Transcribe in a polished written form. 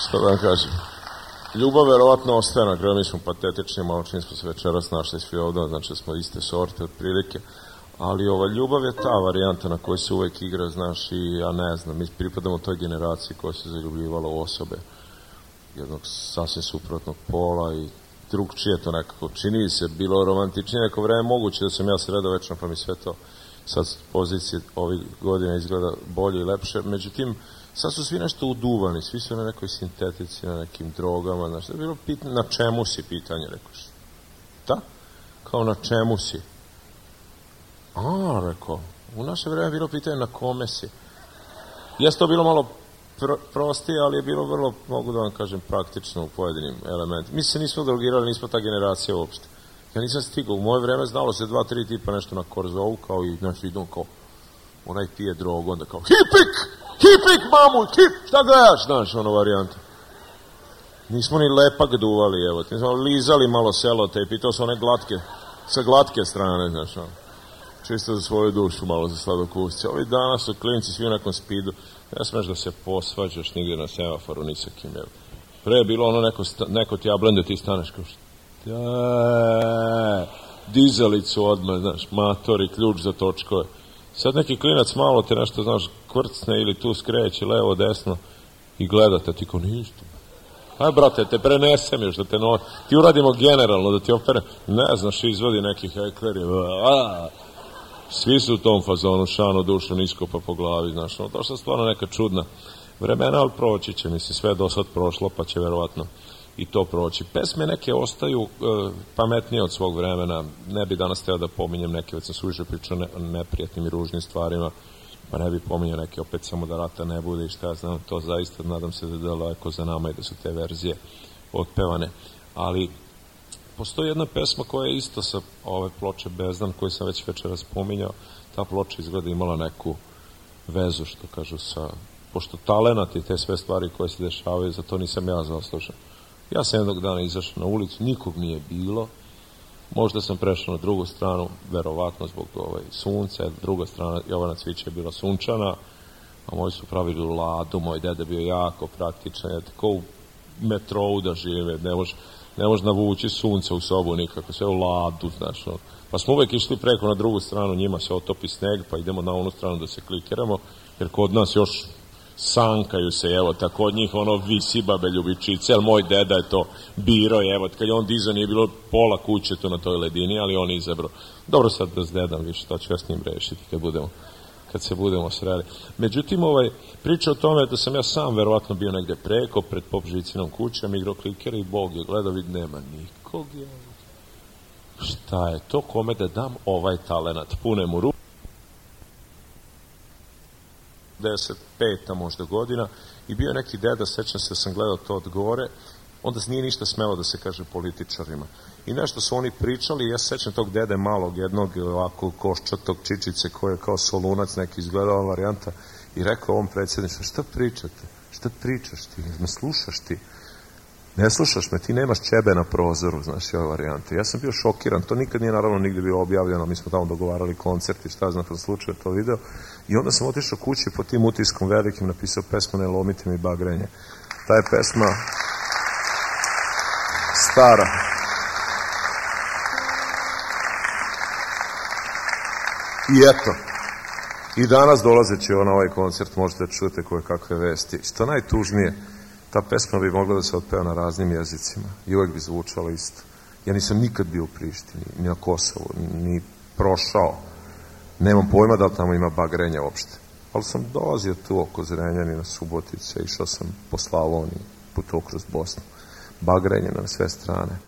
Što da vam kažem? Ljubav verovatno ostaje na kraju, mi smo patetični, malo čim smo se večeras našli svi ovdje, znači smo iste sorte otprilike, ali ljubav je ta varijanta na kojoj se uvek igra, znaš, i ja ne znam, mi pripadamo toj generaciji koja se zaljubljivala u osobe jednog sasvim suprotnog pola i drugčije to nekako čini se, bilo romantičnije neko vreme, moguće da sam ja sredovečno pa mi sve to sad s pozicije ovih godina izgleda bolje i lepše, međutim sad su svi nešto uduvani, svi su na nekoj sintetici, na nekim drogama, znaš, da je bilo pitanje, na čemu si pitanje, rekoš. Da? Kao na čemu si? Rekao, u naše vreme je bilo pitanje na kome si. Jeste to bilo malo prostije, ali je bilo vrlo, mogu da vam kažem, praktično u pojedinim elementima. Mi se nismo drogirali, nismo ta generacija uopšte. Ja nisam stigao, u moje vreme znalo se 2-3 tipa nešto na korzovu, kao i, znaš, idem kao, onaj pije drogu, onda kao, hipik, mamu, šta gledaš, znaš, varijanta. Nismo ni lepak duvali, evo, nismo lizali malo selotejp i to su one glatke, sa glatke strane, znaš, čisto za svoju dušu, malo za sladokusce. Ovi danas su klinci svi u nekom spidu, ne smeš da se posvađaš nigdje na semaforu, ni sa kim, evo. Pre je bilo neko ti jablende, ti staneš kao što, dizalicu odmah, znaš, matori, ključ za točkove. Sad neki klinac malo te nešto, znaš, kvrcne ili tu skreće, levo, desno i gledate, ti ko ništa. Aj, brate, te prenesem još, da te ti uradimo generalno, da ti opere, ne znaš, izvodi neki hekleri, svi su u tom fazonu, šano, dušu, nisko pa po glavi, znaš, to što je stvarno neka čudna vremena, ali proći će, mislim, sve do sad prošlo, pa će verovatno i to proći. Pesme neke ostaju pametnije od svog vremena, ne bi danas teo da pominjem neke, već sam suviše pričao o neprijatnim i ružnim stvarima, pa ne bi pominjao neke opet samo da rata ne bude i šta ja znam, to zaista nadam se da je daleko za nama i da su te verzije otpevane. Ali postoji jedna pesma koja je isto sa ove ploče Bezdan, koju sam već večeras spominjao, ta ploča izgleda imala neku vezu, što kažu, pošto talenat i te sve stvari koje se dešavaju, za to nisam ja zaslužen. Ja sam jednog dana izašao na ulicu, nikog nije bilo, možda sam prešao na drugu stranu, verovatno zbog sunca, druga strana Jovana Cvića je bila sunčana, a moji su pravili ladu, moj dede bio jako praktičan, tako u metrou da žive, ne može navući sunce u sobu nikako, sve u ladu, znaš, pa smo uvek išli preko na drugu stranu, njima se otopi sneg, pa idemo na onu stranu da se klikiramo, jer kod nas još sankaju se, evo, tako od njih visi babe ljubičice, ali moj deda je to biro, evo, kad je on dizao nije bilo pola kuće to na toj ledini, ali on izabrao. Dobro, sad da s dedam više, to ću ja s njim rešiti kad se budemo sreli. Međutim, priča o tome da sam ja sam verovatno bio negde preko, pred pop žicinom kućom, igrao klikera i Bog je gledao, vid, nema nikog, šta je to, kome da dam ovaj talenat, pune mu ruku. 95. možda godina i bio je neki deda, sećam se da sam gledao to od gore, onda nije ništa smelo da se kaže političarima. I nešto su oni pričali, ja se sećam tog dede malog, jednog ovako koščatog čičice koji je kao solunac neki izgledao varijanta i rekao ovom predsjedništvu, šta pričate? Šta pričaš ti? Me slušaš ti? Ne slušaš me, ti nemaš ćebe na prozoru, znaš, ove varijante. Ja sam bio šokiran, to nikad nije naravno nigde bilo objavljeno, mi smo tamo dogovarali koncert i šta znam, kad slučaju to video. I onda sam otišao kući po tim utiskom velikim, napisao pesmu Ne lomite mi bagrenje. Ta je pesma stara. I eto, i danas dolazeći na ovaj koncert možete čujete koje kakve vesti. Što najtužnije, ta pesma bi mogla da se otpeva na raznim jezicima i uvek bi zvučala isto. Ja nisam nikad bio u Prištini, ni na Kosovu, ni prošao. Nemam pojma da li tamo ima bagrenja uopšte. Ali sam dolazio tu oko Zrenjanina, Subotice, išao sam po Slavoniji, putovao kroz Bosnu. Bagrenje na sve strane.